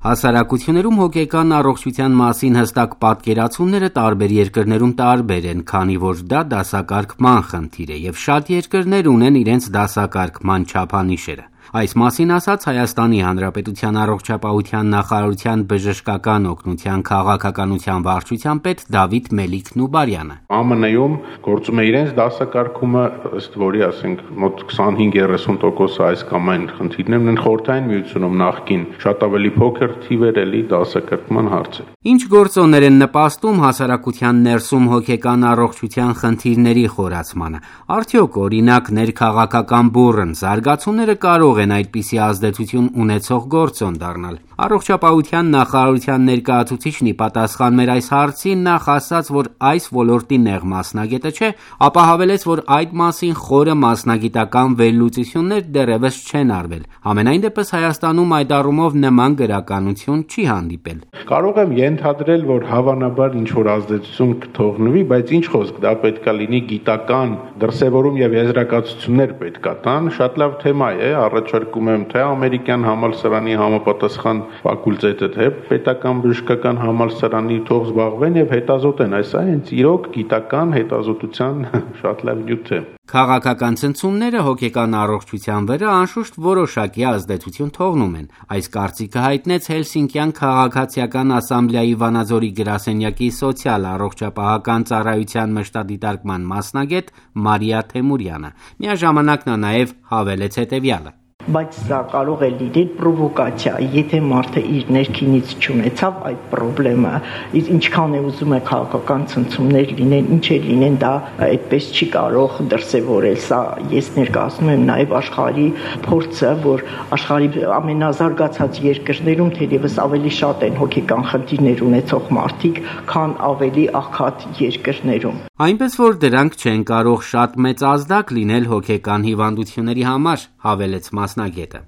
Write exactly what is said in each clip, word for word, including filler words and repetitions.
Հասարակություններում հոգեկան առողջության մասին հստակ պատկերացումները տարբեր երկրներում տարբեր են, քանի որ դա դասակարգման խնդիր է և շատ երկրներ ունեն իրենց դասակարգման չափանիշերը։ Այս մասին ասաց Հայաստանի Հանրապետության առողջապահության նախարարության բժշկական օգնության քաղաքականության վարչության պետ Դավիթ Մելիք Նուբարյանը։ ԱՄՆ-ում գործում է իրենց դասակարգումը, ըստ որի, ասենք, մոտ քսանհինգ երեսուն տոկոս այս կամ այն խնդիրներն են, Խորհրդային Միությունում նախկին շատ ավելի փոքր թիվեր էլի դասակարգման հարցը։ Ինչ գործոններ են նպաստում հասարակության ներսում հոգեկան առողջության խնդիրների խորացմանը։ Արդյոք, օրինակ, ներքաղաքական բուռն զարգացումները կարող են այդպիսի ազդեցություն ունեցող գործոն դառնալ։ Առողջապահության նախարարության ներկայացուցիչն ի պատասխան մեր այս հարցին նախ ասաց, որ այս ոլորտի նեղ մասնագետը չէ, ապա հավելեց, որ այդ մասին խորը մասնագիտական վերլուծություններ դեռևս չեն արվել։ Համենայն դեպս Հայաստանում այդ առումով նման գրականություն չի հանդիպել։ Կարող եմ ենթադրել, որ հավանաբար ինչ-որ ազդեցություն կթողնվի, բայց ինչ խոսք, դա պետք է լինի գիտական դրսևորում և եզրակացություններ պետք է տան։ Շատ լավ թեմա է, առաջարկում եմ թե ամերիկյան համալսարանի համապատասխան ֆակուլտետը, թե պետական բժշկական համալսարանի թող զբաղվեն և հետազոտեն, այս հենց իրոք գիտական հետազոտության շատ լավ նյութ է։ Քաղաքական ցնցումները հոգեկան առողջության վրա անշուշտ որոշակի ազդեցություն թողնում են։ Այս կարծիքը հայտնեց Հելսինկյան քաղաքացիական ասամբլեայի Վանաձորի գրասենյակի սոցիալ առողջապահական ծառայության մշտադիտարկման մասնագետ Մարիա Թեմուրյանը։ Միաժամանակ նա նաև հավելեց հետևյալը. Բայց սա կարող է լինել պրովոկացիա, եթե մարդը իր ներքինից չունեցավ այդ խնդրեմը, ինչքան է ուզում է քաղաքական ցնցումներ լինեն, ինչ է լինեն, դա այդպես չի կարող դրսևորել։ Սա ես ներկայացնում եմ նաև աշխարհի փորձը, որ աշխարհի ամենազարգացած երկրներում թերևս ավելի շատ են հոգեկան խնդիրներ ունեցող մարդիկ, քան ավելի աղքատ երկրներում։ Այնպես որ դրանք չեն կարող շատ մեծ ազդակ լինել հոգեկան հիվանդությունների համար, հավելեց մասնագետը։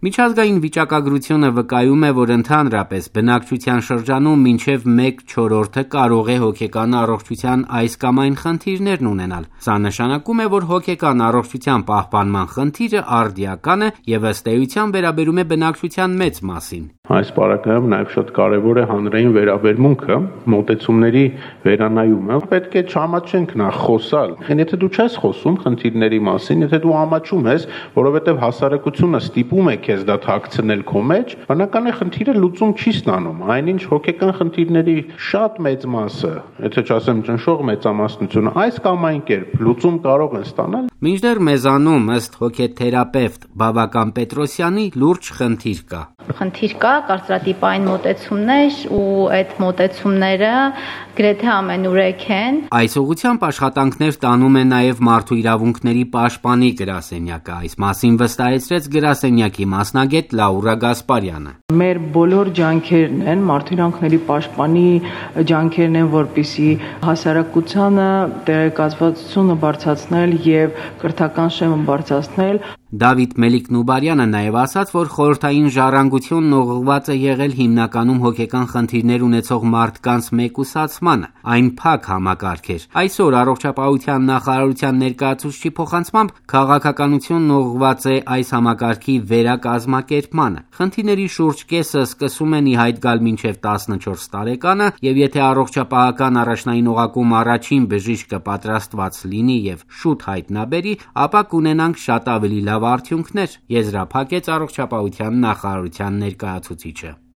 Միջազգային վիճակագրությունը վկայում է, որ ընդհանրապես բնակչության շրջանում մինչև մեկ չորրորդը կարող է հոգեկան առողջության այս կամ այն խնդիրներն ունենալ։ Սա նշանակում է, որ հոգեկան առողջության պահպանման խնդիրը արդիական է և ըստ էության վերաբերում է բնակչության մեծ մասին։ Այս պարագայում նաև շատ կարևոր է հանրային վերաբերմունքը, մոտեցումների վերանայումը։ Պետք է չամաչենք նախ խոսալ։ Եթե դու չես խոսում խնդիրների մասին, եթե դու ամաչում ես, որովհետև հասարակությունը ստիպում է քեզ դա թաքցնել քո մեջ, բնական է խնդիրը լուծում չի ստանում։ Այնինչ հոգեկան խնդիրների շատ մեծ մասը, եթե չասեմ ճնշող մեծամասնությունը, այս կամ այն կերպ լուծում կարող են ստանալ։ Մինչդեռ մեզանում ըստ հոգեթերապևտ Բավական Պետրոսյանի լուրջ խնդիր կա։ Խնդիր կա, կարծրատիպային մոտեցումներ ու այդ մոտեցումները գրեթե ամենուրեք են։ Այս ուղղությամբ աշխատանքներ տանում է նաև Մարդու իրավունքների պաշտպանի գրասենյակը։ Այս մասին վստահեցրեց գրասենյակի մասնագետ Լաուրա Գասպարյանը։ Մեր բոլոր ջանքերն են, Մարդու իրավունքների պաշտպանի ջանքերն են, որպեսզի հասարակությանը տեղեկացվածությունը բարձրացնել եւ կրթական շեմը բարձրացնել։ Դավիթ Մելիք Նուբարյանը նաև ասաց, որ խորհրդային ժառանգությունն ուղղված է եղել հիմնականում հոգեկան խնդիրներ ունեցող մարդկանց մեկուսացմանը։ Այն փակ համակարգ էր։ Այսօր առողջապահության նախարարության ներկայացուցչի փոխանցմամբ քաղաքականությունն ուղղված է այս համակարգի վերակազմակերպմանը։ Խնդիրների շուրջ կեսը սկսում են ի հայտ գալ մինչև տասնչորս տարեկանը, եւ եթե առողջապահական առաջնային օղակում առաջին բժիշկը պատրաստված լինի եւ շուտ հայտնաբերի, ապա կունենանք շատ ավելի լավ արդյունքներ, եզրափակեց առողջապահության նախարարության ներկայացուցիչը։